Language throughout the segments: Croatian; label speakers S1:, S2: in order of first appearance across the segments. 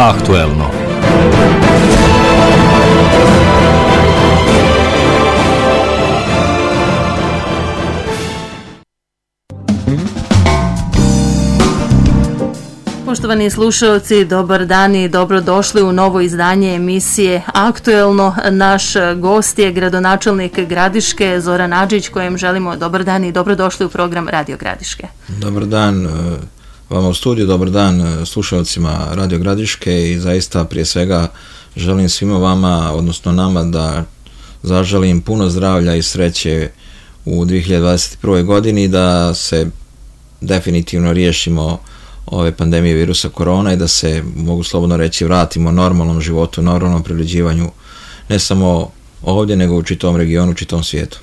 S1: Aktuelno.
S2: Poštovani slušalci, dobar dan i dobrodošli u novo izdanje emisije Aktuelno. Naš gost je gradonačelnik Gradiške, Zoran Adžić, kojem želimo dobar dan i dobrodošli u program Radio Gradiške.
S3: Dobar dan vama u studiju, dobar dan slušalcima Radio Gradiške i zaista prije svega želim svima vama, odnosno nama, da zaželim puno zdravlja i sreće u 2021. godini, da se definitivno riješimo ove pandemije virusa korona i da se, mogu slobodno reći, vratimo normalnom životu, normalnom privređivanju, ne samo ovdje, nego u čitavom regionu, u čitavom svijetu.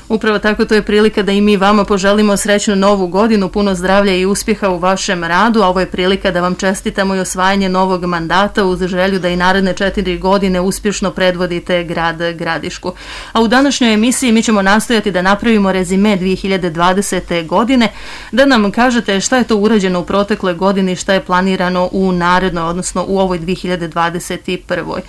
S2: Upravo tako, to je prilika da i mi vama poželimo srećnu novu godinu, puno zdravlja i uspjeha u vašem radu, a ovo je prilika da vam čestitamo i osvajanje novog mandata uz želju da i naredne 4 godine uspješno predvodite grad Gradišku. A u današnjoj emisiji mi ćemo nastojati da napravimo rezime 2020. godine, da nam kažete šta je to urađeno u protekloj godini, šta je planirano u narednoj, odnosno u ovoj 2021.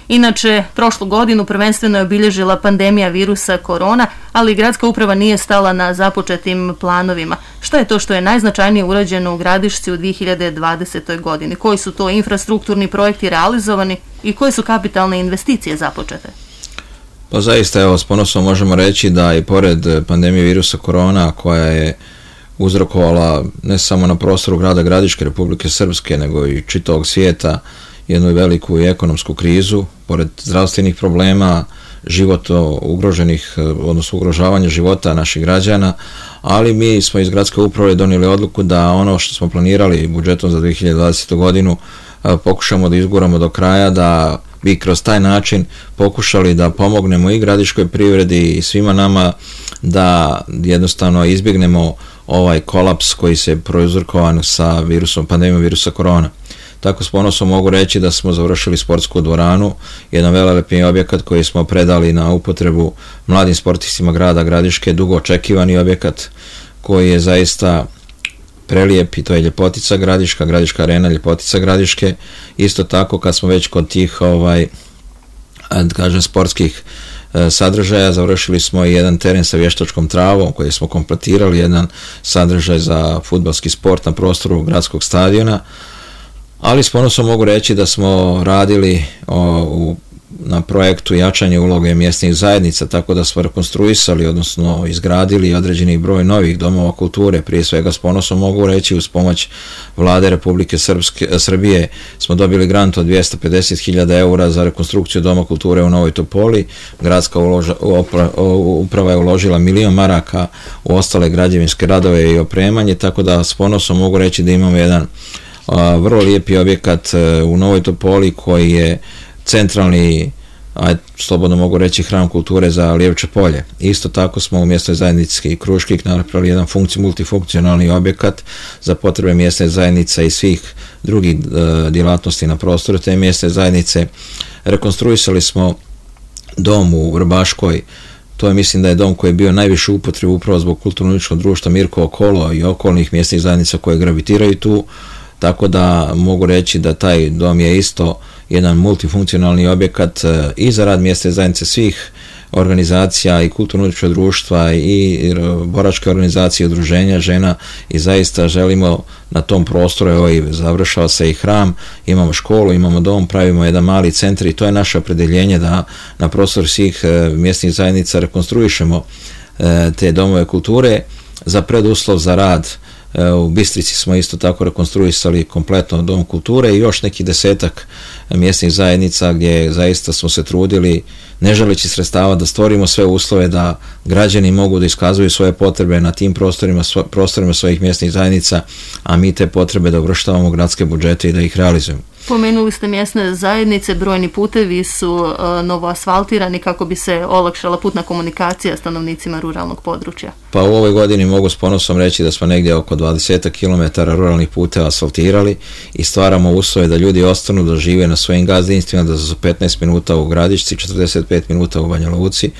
S2: Inače, prošlu godinu prvenstveno je obilježila pandemija virusa korona, ali gradska uprava nije stala na započetim planovima. Šta je to što je najznačajnije urađeno u Gradišci u 2020. godini? Koji su to infrastrukturni projekti realizovani i koje su kapitalne investicije započete?
S3: Pa zaista, evo, s ponosom možemo reći da i pored pandemije virusa korona, koja je uzrokovala ne samo na prostoru grada Gradiške, Republike Srpske, nego i čitavog svijeta, jednu veliku i ekonomsku krizu, pored zdravstvenih problema, života ugroženih, odnosno ugrožavanja života naših građana, ali mi smo iz gradske uprave donijeli odluku da ono što smo planirali budžetom za 2020. godinu pokušamo da izguramo do kraja, da bi kroz taj način pokušali da pomognemo i gradiškoj privredi i svima nama da jednostavno izbjegnemo ovaj kolaps koji se prouzrokovan sa pandemijom virusa korona. Tako s ponosom mogu reći da smo završili sportsku dvoranu, jedan velelepni objekat koji smo predali na upotrebu mladim sportistima grada Gradiške, dugo očekivani objekat koji je zaista prelijep i to je Ljepotica Gradiška, Gradiška arena Ljepotica Gradiške. Isto tako, kad smo već kod tih sportskih sadržaja, završili smo i jedan teren sa vještačkom travom koji smo kompletirali, jedan sadržaj za fudbalski sport na prostoru gradskog stadiona. Ali s ponosom mogu reći da smo radili na projektu jačanje uloge mjesnih zajednica, tako da smo rekonstruisali, odnosno izgradili određeni broj novih domova kulture. Prije svega s ponosom mogu reći, uz pomoć Vlade Republike Srbije smo dobili grant od 250.000 eura za rekonstrukciju Doma kulture u Novoj Topoli. Gradska uprava je uložila 1 milion maraka u ostale građevinske radove i opremanje, tako da s ponosom mogu reći da imamo jedan vrlo lijepi objekat u Novoj Topoli koji je centralni, slobodno mogu reći, hram kulture za Lijevče polje. Isto tako smo u mjesnoj zajednici Kruškik napravili jedan multifunkcionalni objekat za potrebe mjesne zajednice i svih drugih djelatnosti na prostoru te mjesne zajednice. Rekonstruisali smo dom u Vrbaškoj. To je, mislim da je dom koji je bio najviše upotrebu upravo zbog kulturno-umjetničkog društva Mirko Okolo i okolnih mjesnih zajednica koje gravitiraju tu. Tako da mogu reći da taj dom je isto jedan multifunkcionalni objekat i za rad mjesne zajednice svih organizacija i kulturno-umjetničkog društva i boračke organizacije, udruženja žena, i zaista želimo na tom prostoru, evo i završava se i hram, imamo školu, imamo dom, pravimo jedan mali centar i to je naše opredjeljenje da na prostoru svih mjesnih zajednica rekonstruišemo te domove kulture. Za preduslov za rad u Bistrici smo isto tako rekonstruisali kompletno dom kulture i još neki 10 mjesnih zajednica gdje zaista smo se trudili, ne želeći sredstava, da stvorimo sve uslove da građani mogu da iskazuju svoje potrebe na tim prostorima svojih mjesnih zajednica, a mi te potrebe da uvrštavamo gradske budžete i da ih realizujemo.
S2: Pomenuli ste mjesne zajednice, brojni putevi su novo asfaltirani kako bi se olakšala putna komunikacija stanovnicima ruralnog područja.
S3: Pa u ovoj godini mogu s ponosom reći da smo negdje oko 20 km ruralnih puteva asfaltirali i stvaramo uslove da ljudi ostanu da žive na svojim gazdinstvima, da su 15 minuta u Gradišci, 45 minuta u Banja Luci.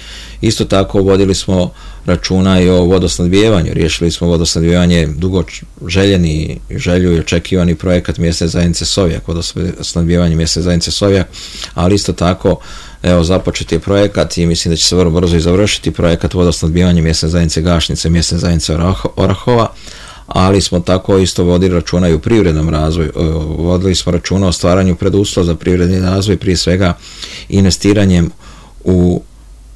S3: Isto tako vodili smo računa i o vodosnadbijevanju. Riješili smo vodosnadbijevanje, dugo željeni, želju i očekivani projekat mjesne zajednice Sovjak, vodosnadbijevanje mjesne zajednice Sovjak, ali isto tako evo započet je projekat i mislim da će se vrlo brzo i završiti projekat vodosnadbijevanja mjesne zajednice Gašnice, mjesne zajednice Orahova, ali smo tako isto vodili računa i u privrednom razvoju. Vodili smo računa o stvaranju preduslova za privredni razvoj, prije svega investiranjem u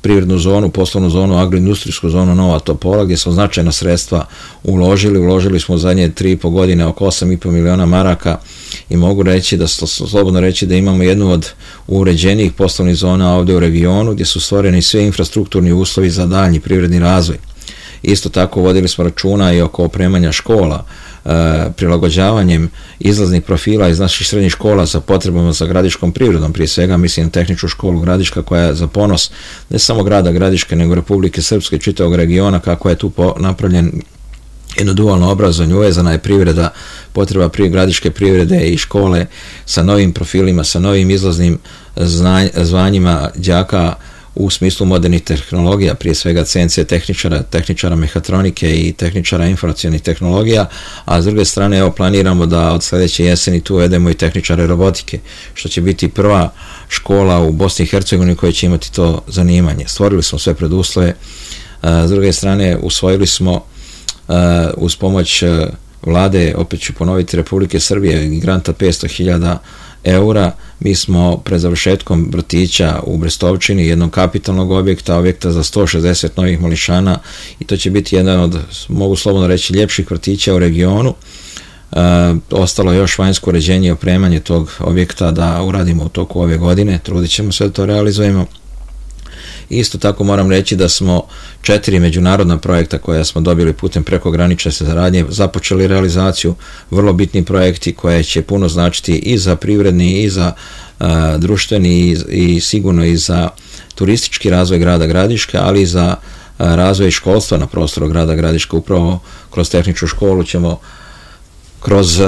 S3: privrednu zonu, poslovnu zonu, agroindustrijsku zonu Nova Topola, gdje smo značajna sredstva uložili smo u zadnje 3,5 godine oko 8,5 miliona maraka i mogu reći da slobodno reći da imamo jednu od uređenijih poslovnih zona ovdje u regionu, gdje su stvoreni svi infrastrukturni uslovi za daljnji privredni razvoj. Isto tako vodili smo računa i oko opremanja škola, prilagođavanjem izlaznih profila iz naših srednjih škola sa potrebama za gradiškom privredom, prije svega mislim na tehničku školu Gradiška koja je za ponos ne samo grada Gradiške nego Republike Srpske, čitavog regiona, kako je tu napravljen jedno dualno obrazovanje, uvezana je privreda, potreba gradiške privrede i škole sa novim profilima, sa novim izlaznim zvanjima đaka u smislu modernih tehnologija, prije svega CNC tehničara mehatronike i tehničara informacionih tehnologija, a s druge strane evo planiramo da od sljedeće jeseni tu uvedemo i tehničare robotike, što će biti prva škola u Bosni i Hercegovini koja će imati to zanimanje. Stvorili smo sve preduslove, s druge strane usvojili smo uz pomoć vlade, opet ću ponoviti, Republike Srbije, granta 500.000 eura, mi smo pred završetkom vrtića u Brestovčini, jednog kapitalnog objekta za 160 novih mališana, i to će biti jedan od, mogu slobodno reći, ljepših vrtića u regionu. Ostalo je još vanjsko uređenje i opremanje tog objekta da uradimo u toku ove godine, trudit ćemo se da to realizujemo. Isto tako moram reći da smo 4 međunarodna projekta koja smo dobili putem prekogranične saradnje započeli realizaciju, vrlo bitni projekti koje će puno značiti i za privredni i za društveni i sigurno i za turistički razvoj grada Gradiška, ali i za razvoj školstva na prostoru grada Gradiška. Upravo kroz tehničku školu ćemo kroz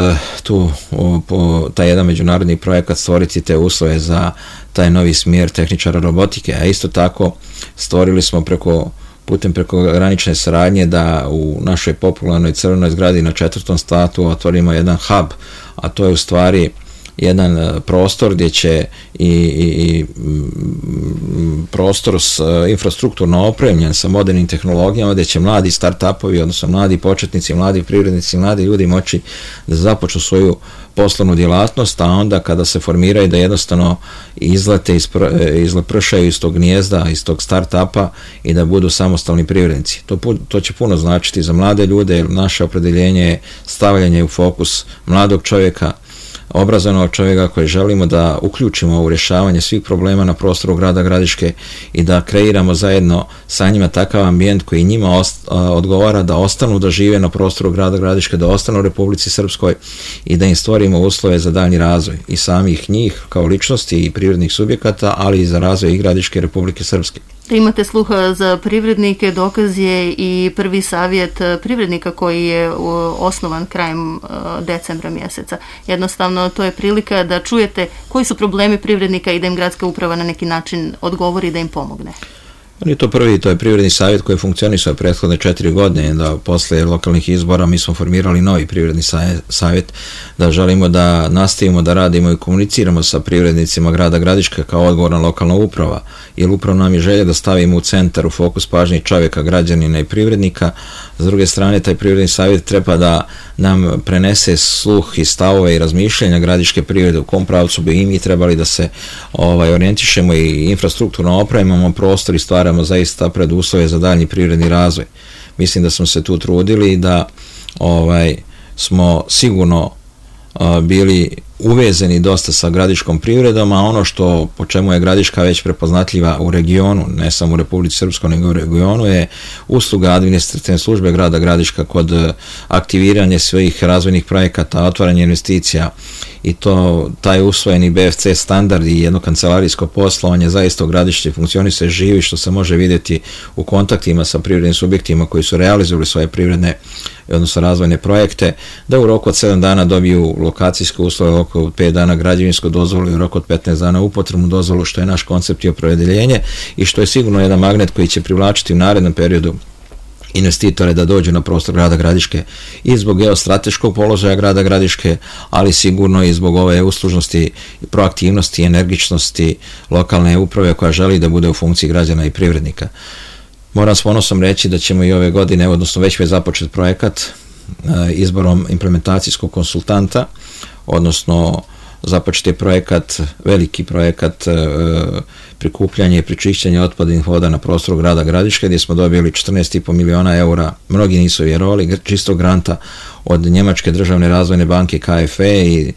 S3: taj jedan međunarodni projekat stvoriti te uslove za taj novi smjer tehničara robotike, a isto tako stvorili smo putem prekogranične saradnje da u našoj popularnoj crvenoj zgradi na 4. spratu otvorimo jedan hub, a to je u stvari jedan prostor gdje će i prostor infrastrukturno opremljen sa modernim tehnologijama, gdje će mladi start-upovi, odnosno mladi početnici, mladi privrednici, mladi ljudi moći da započnu svoju poslovnu djelatnost, a onda kada se formiraju da jednostavno izlete, izlepršaju iz tog gnijezda, iz tog start-upa i da budu samostalni privrednici. To će puno značiti za mlade ljude, jer naše opredjeljenje je stavljanje u fokus mladog čovjeka, obrazovanog čovjeka koji želimo da uključimo u rješavanje svih problema na prostoru grada Gradiške i da kreiramo zajedno sa njima takav ambijent koji njima odgovara da ostanu da žive na prostoru grada Gradiške, da ostanu u Republici Srpskoj i da im stvorimo uslove za daljnji razvoj i samih njih kao ličnosti i privrednih subjekata, ali i za razvoj i Gradiške Republike Srpske.
S2: Da imate sluha za privrednike, dokaz je i prvi savjet privrednika koji je osnovan krajem decembra mjeseca. Jednostavno, to je prilika da čujete koji su problemi privrednika i da im gradska uprava na neki način odgovori da im pomogne.
S3: On je to prvi, to je privredni savjet koji funkcionisao prethodne 4 godine, da posle lokalnih izbora mi smo formirali novi privredni savjet, da želimo da nastavimo da radimo i komuniciramo sa privrednicima grada Gradiška kao odgovorna lokalna uprava, jer upravo nam je želja da stavimo u centar, u fokus pažnje čovjeka, građanina i privrednika. S druge strane, taj privredni savjet treba da nam prenese sluh i stavove i razmišljanja gradiške privrede, u kom pravcu bi i mi trebali da se orijentišemo i infrastrukturno opremamo prostor i stvaramo zaista preduslove za daljnji privredni razvoj. Mislim da smo se tu trudili i da smo sigurno bili uvezeni dosta sa gradiškom privredom, a ono što po čemu je Gradiška već prepoznatljiva u regionu, ne samo u Republici Srpskoj nego u regionu, je usluga administrativne službe grada Gradiška kod aktiviranja svojih razvojnih projekata, otvaranja investicija, i taj usvojeni BFC standard i jedno kancelarijsko poslovanje zaista u Gradišci funkcioniše živi, što se može vidjeti u kontaktima sa privrednim subjektima koji su realizovali svoje privredne, odnosno razvojne projekte, da u roku od 7 dana dobiju lokacijske uslove, u roku od 5 dana građevinsku dozvolu i u roku od 15 dana upotrebnu dozvolu, što je naš koncept i opredeljenje i što je sigurno jedan magnet koji će privlačiti u narednom periodu investitore da dođu na prostor grada Gradiške i zbog geostrateškog položaja grada Gradiške, ali sigurno i zbog ove uslužnosti, proaktivnosti i energičnosti lokalne uprave koja želi da bude u funkciji građana i privrednika. Moram s ponosom reći da ćemo i ove godine, odnosno već je započet projekat izborom implementacijskog konsultanta, odnosno započet je projekat, veliki projekat prikupljanje i prečišćenje otpadnih voda na prostoru grada Gradiške, gdje smo dobili 14,5 miliona eura, mnogi nisu vjerovali, čistog granta od Njemačke državne razvojne banke KfW i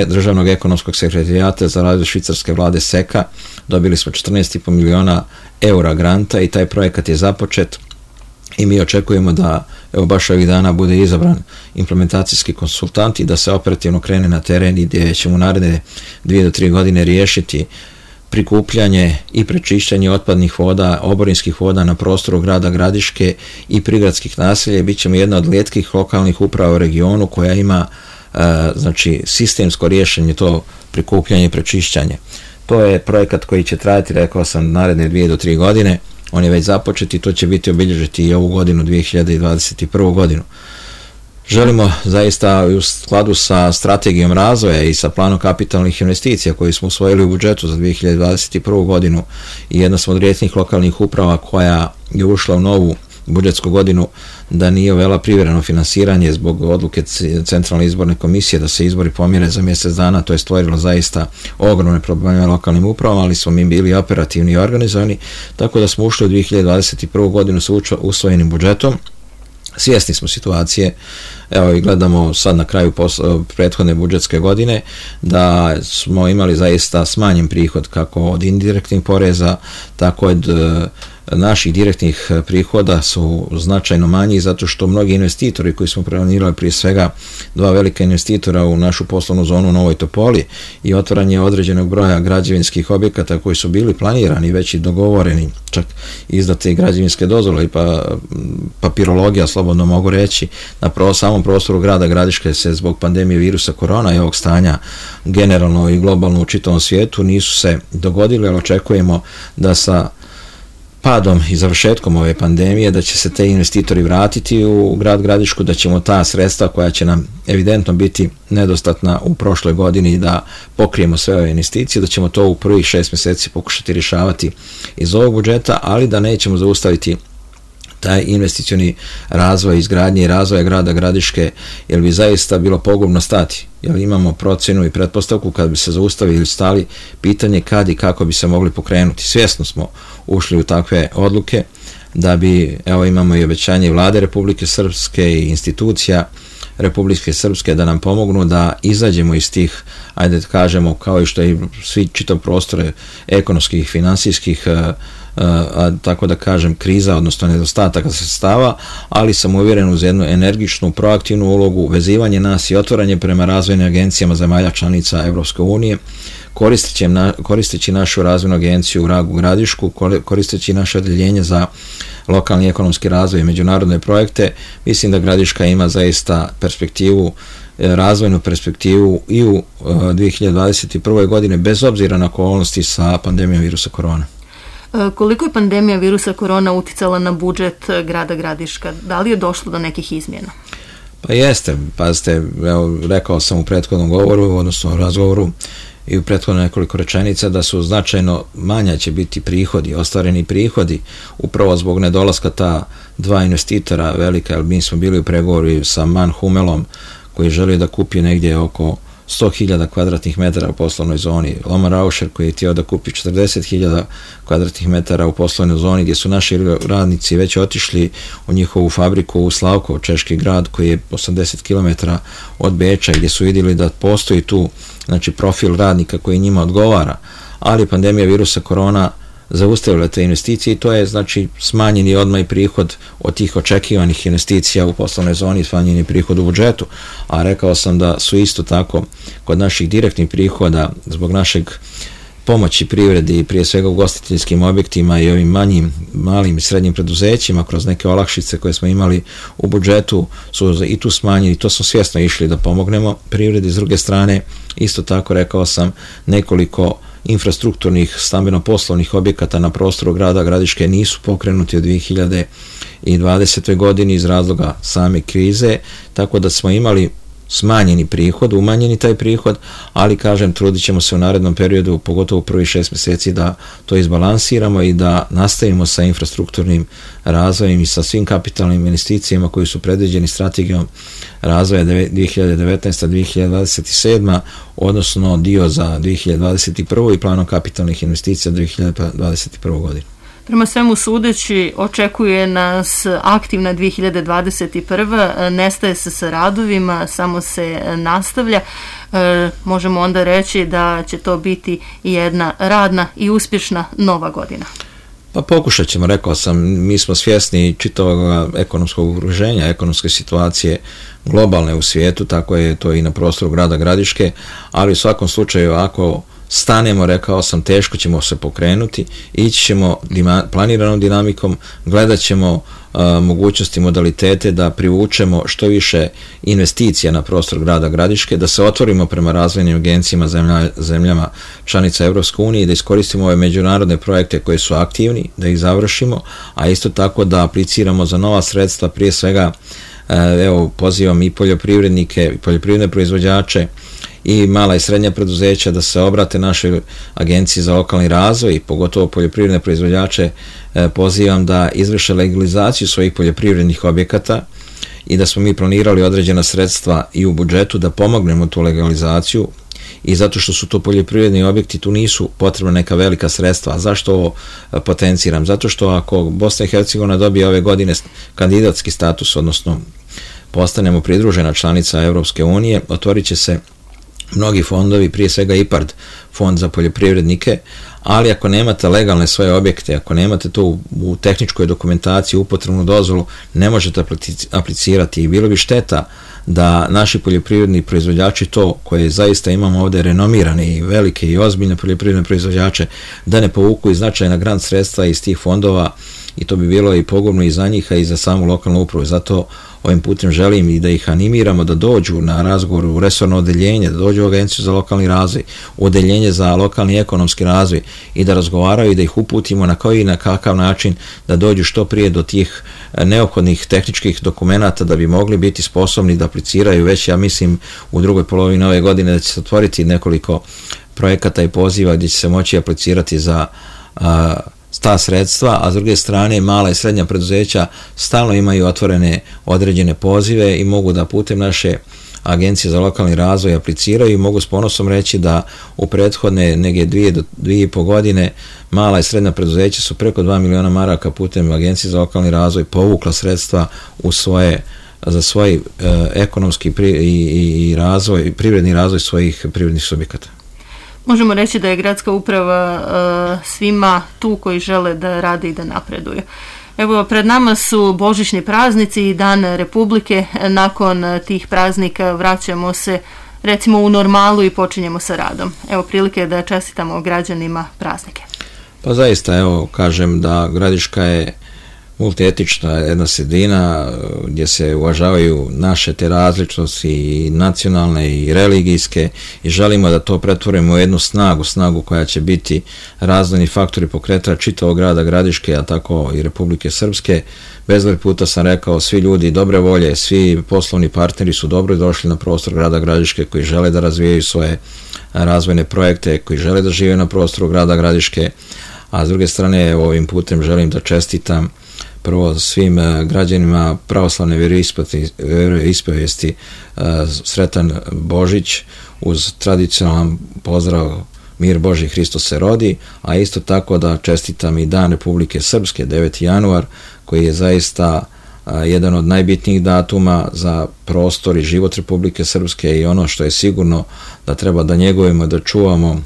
S3: Državnog ekonomskog sekretarijata za razvoj švicarske vlade SEKA. Dobili smo 14,5 miliona eura granta i taj projekat je započet. I mi očekujemo da baš ovih dana bude izabran implementacijski konsultant i da se operativno krene na teren i gdje ćemo naredne 2 do 3 godine riješiti prikupljanje i prečišćanje otpadnih voda, oborinskih voda na prostoru grada Gradiške i prigradskih naselja i bit ćemo jedna od rijetkih lokalnih uprava u regionu koja ima znači sistemsko rješenje to prikupljanje i prečišćanje. To je projekat koji će trajati, rekao sam, naredne 2 do 3 godine. On je već započet i to će biti obilježiti i ovu godinu, 2021. godinu. Želimo zaista u skladu sa strategijom razvoja i sa planom kapitalnih investicija koji smo usvojili u budžetu za 2021. godinu i jedna smo od rijetkih lokalnih uprava koja je ušla u novu budžetsku godinu da nije uvela privremeno finansiranje zbog odluke Centralne izborne komisije da se izbori pomjere za mjesec dana. To je stvorilo zaista ogromne probleme lokalnim upravama, ali smo mi bili operativni i organizovani, tako da smo ušli u 2021. godinu sa usvojenim budžetom. Svjesni smo situacije, evo i gledamo sad na kraju prethodne budžetske godine da smo imali zaista smanjen prihod kako od indirektnih poreza, tako od naših direktnih prihoda su značajno manji zato što mnogi investitori koji smo planirali, prije svega 2 velika investitora u našu poslovnu zonu u Novoj Topoli i otvaranje određenog broja građevinskih objekata koji su bili planirani, već i dogovoreni, čak izdate građevinske dozvole i papirologija, slobodno mogu reći, na samom prostoru grada Gradiške se zbog pandemije virusa korona i ovog stanja generalno i globalno u čitavom svijetu nisu se dogodili, ali očekujemo da sa padom i završetkom ove pandemije da će se te investitori vratiti u grad Gradišku, da ćemo ta sredstva koja će nam evidentno biti nedostatna u prošloj godini da pokrijemo sve ove investicije, da ćemo to u prvih 6 mjeseci pokušati rješavati iz ovog budžeta, ali da nećemo zaustaviti taj investicioni razvoj, izgradnje i razvoja grada Gradiške, jer bi zaista bilo pogubno stati. Jer imamo procjenu i pretpostavku kad bi se zaustavili ili stali, pitanje kad i kako bi se mogli pokrenuti. Svjesno smo ušli u takve odluke da bi, evo imamo i obećanje Vlade Republike Srpske i institucija Republike Srpske da nam pomognu da izađemo iz tih, ajde da kažemo, kao i što i svi čitav prostore ekonomskih, finansijskih, tako da kažem, kriza, odnosno nedostataka sredstava, ali sam uvjeren uz jednu energičnu, proaktivnu ulogu, vezivanje nas i otvaranje prema razvojnim agencijama zemalja članica Evropske unije, koristeći našu razvojnu agenciju u Gradišku, koristeći naše odeljenje za lokalni ekonomski razvoj i međunarodne projekte. Mislim da Gradiška ima zaista perspektivu, razvojnu perspektivu i u 2021. godine, bez obzira na okolnosti sa pandemijom virusa korona.
S2: Koliko je pandemija virusa korona uticala na budžet grada Gradiška? Da li je došlo do nekih izmjena?
S3: Pa jeste, pazite, evo, rekao sam u prethodnom govoru, odnosno razgovoru i u prethodno nekoliko rečenica da su značajno manja će biti prihodi, ostvareni prihodi, upravo zbog nedolaska ta 2 investitora velika, jer mi smo bili u pregovoru sa Man Humelom koji želi da kupi negdje oko 100.000 kvadratnih metara u poslovnoj zoni, Loma Rauscher koji je htio da kupi 40.000 kvadratnih metara u poslovnoj zoni, gdje su naši radnici već otišli u njihovu fabriku u Slavkov, češki grad koji je 80 km od Beča, gdje su vidjeli da postoji tu, znači, profil radnika koji njima odgovara, ali pandemija virusa korona zaustavila te investicije i to je, znači, smanjeni odmah i prihod od tih očekivanih investicija u poslovnoj zoni, smanjeni prihod u budžetu, a rekao sam da su isto tako kod naših direktnih prihoda zbog našeg pomoći privredi i prije svega ugostiteljskim objektima i ovim malim i srednjim preduzećima kroz neke olakšice koje smo imali u budžetu su i tu smanjeni, to smo svjesno išli da pomognemo privredi. S druge strane, isto tako rekao sam, nekoliko infrastrukturnih stambeno-poslovnih objekata na prostoru grada Gradiške nisu pokrenuti od 2020. godini iz razloga same krize, tako da smo imali smanjeni prihod, umanjeni taj prihod, ali kažem, trudit ćemo se u narednom periodu, pogotovo u prvih 6 mjeseci, da to izbalansiramo i da nastavimo sa infrastrukturnim razvojem i sa svim kapitalnim investicijama koji su predviđeni strategijom razvoja 2019-2027, odnosno dio za 2021. i planom kapitalnih investicija 2021. godinu.
S2: Prema svemu sudeći, očekuje nas aktivna 2021. Nestaje se sa radovima, samo se nastavlja. Možemo onda reći da će to biti jedna radna i uspješna nova godina.
S3: Pa pokušat ćemo, rekao sam, mi smo svjesni čitavog ekonomskog okruženja, ekonomske situacije globalne u svijetu, tako je to i na prostoru grada Gradiške, ali u svakom slučaju ako stanemo, rekao sam, teško ćemo se pokrenuti, ići ćemo planiranom dinamikom, gledat ćemo mogućnosti, modalitete da privučemo što više investicija na prostor grada Gradiške, da se otvorimo prema razvojnim agencijama zemljama članica Europske unije i da iskoristimo ove međunarodne projekte koji su aktivni, da ih završimo, a isto tako da apliciramo za nova sredstva, prije svega evo pozivam i poljoprivrednike i poljoprivredne proizvođače i mala i srednja preduzeća da se obrate našoj agenciji za lokalni razvoj i pogotovo poljoprivredne proizvođače pozivam da izvrše legalizaciju svojih poljoprivrednih objekata i da smo mi planirali određena sredstva i u budžetu da pomognemo tu legalizaciju i zato što su to poljoprivredni objekti, tu nisu potrebna neka velika sredstva. A zašto ovo potenciram? Zato što ako Bosna i Hercegovina dobije ove godine kandidatski status, odnosno postanemo pridružena članica Europske unije, otvorit će se mnogi fondovi, prije svega IPARD, fond za poljoprivrednike, ali ako nemate legalne svoje objekte, ako nemate to u tehničkoj dokumentaciji, upotrebnu dozvolu, ne možete aplicirati i bilo bi šteta da naši poljoprivredni proizvođači, to koje zaista imamo ovdje renomirane i velike i ozbiljne poljoprivredne proizvođače, da ne povuku i značajna grant sredstva iz tih fondova i to bi bilo i pogubno i za njih, a i za samu lokalnu upravu. Zato ovim putem želim i da ih animiramo da dođu na razgovor u resorno odeljenje, da dođu u Agenciju za lokalni razvoj, u odeljenje za lokalni ekonomski razvoj i da razgovaraju i da ih uputimo na koji i na kakav način da dođu što prije do tih neophodnih tehničkih dokumenata da bi mogli biti sposobni da apliciraju već, ja mislim, u drugoj polovini ove godine da će se otvoriti nekoliko projekata i poziva gdje će se moći aplicirati za ta sredstva, a s druge strane mala i srednja preduzeća stalno imaju otvorene određene pozive i mogu da putem naše agencije za lokalni razvoj apliciraju i mogu s ponosom reći da u prethodne neke 2 do 2,5 godine mala i srednja preduzeća su preko 2 miliona maraka putem agencije za lokalni razvoj povukla sredstva za svoj ekonomski i razvoj, privredni razvoj svojih privrednih subjekata.
S2: Možemo reći da je gradska uprava svima tu koji žele da rade i da napreduju. Evo, pred nama su božićni praznici i Dan Republike. Nakon tih praznika vraćamo se recimo u normalu i počinjemo sa radom. Evo prilike da čestitamo građanima praznike.
S3: Pa zaista, evo, kažem da Gradiška je multietična jedna sredina gdje se uvažavaju naše te različnosti i nacionalne i religijske i želimo da to pretvorimo u jednu snagu koja će biti razvojni faktori pokretač čitavog grada Gradiške, a tako i Republike Srpske. Bezbroj puta sam rekao, svi ljudi dobre volje, svi poslovni partneri su dobro došli na prostor grada Gradiške koji žele da razvijaju svoje razvojne projekte, koji žele da žive na prostoru grada Gradiške, a s druge strane ovim putem želim da čestitam prvo svim građanima pravoslavne vjeroispovesti sretan Božić uz tradicionalan pozdrav Mir Božji, Hristos se rodi, a isto tako da čestitam i Dan Republike Srpske, 9. januar, koji je zaista jedan od najbitnijih datuma za prostor i život Republike Srpske i ono što je sigurno da treba da njegujemo, da čuvamo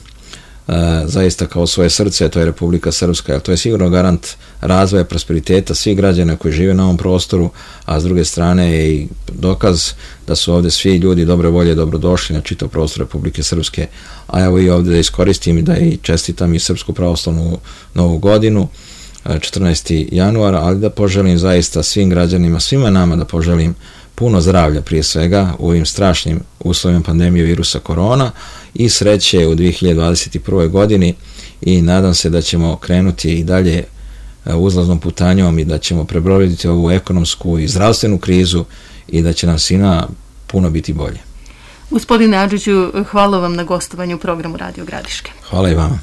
S3: zaista kao svoje srce, to je Republika Srpska, jer to je sigurno garant razvoja, prosperiteta svih građana koji žive na ovom prostoru, a s druge strane je i dokaz da su ovdje svi ljudi dobre volje dobrodošli na čitav prostor Republike Srpske, a evo i ovdje da iskoristim i da i čestitam i Srpsku pravoslavnu novu godinu, 14. januara, ali da poželim zaista svim građanima, svima nama da poželim puno zdravlja prije svega u ovim strašnim uslovima pandemije virusa korona i sreće u 2021. godini i nadam se da ćemo krenuti i dalje uzlaznom putanjom i da ćemo prebroditi ovu ekonomsku i zdravstvenu krizu i da će nam svima puno biti bolje.
S2: Gospodine Adžiću, hvala vam na gostovanju u programu Radio Gradiške.
S3: Hvala i vama.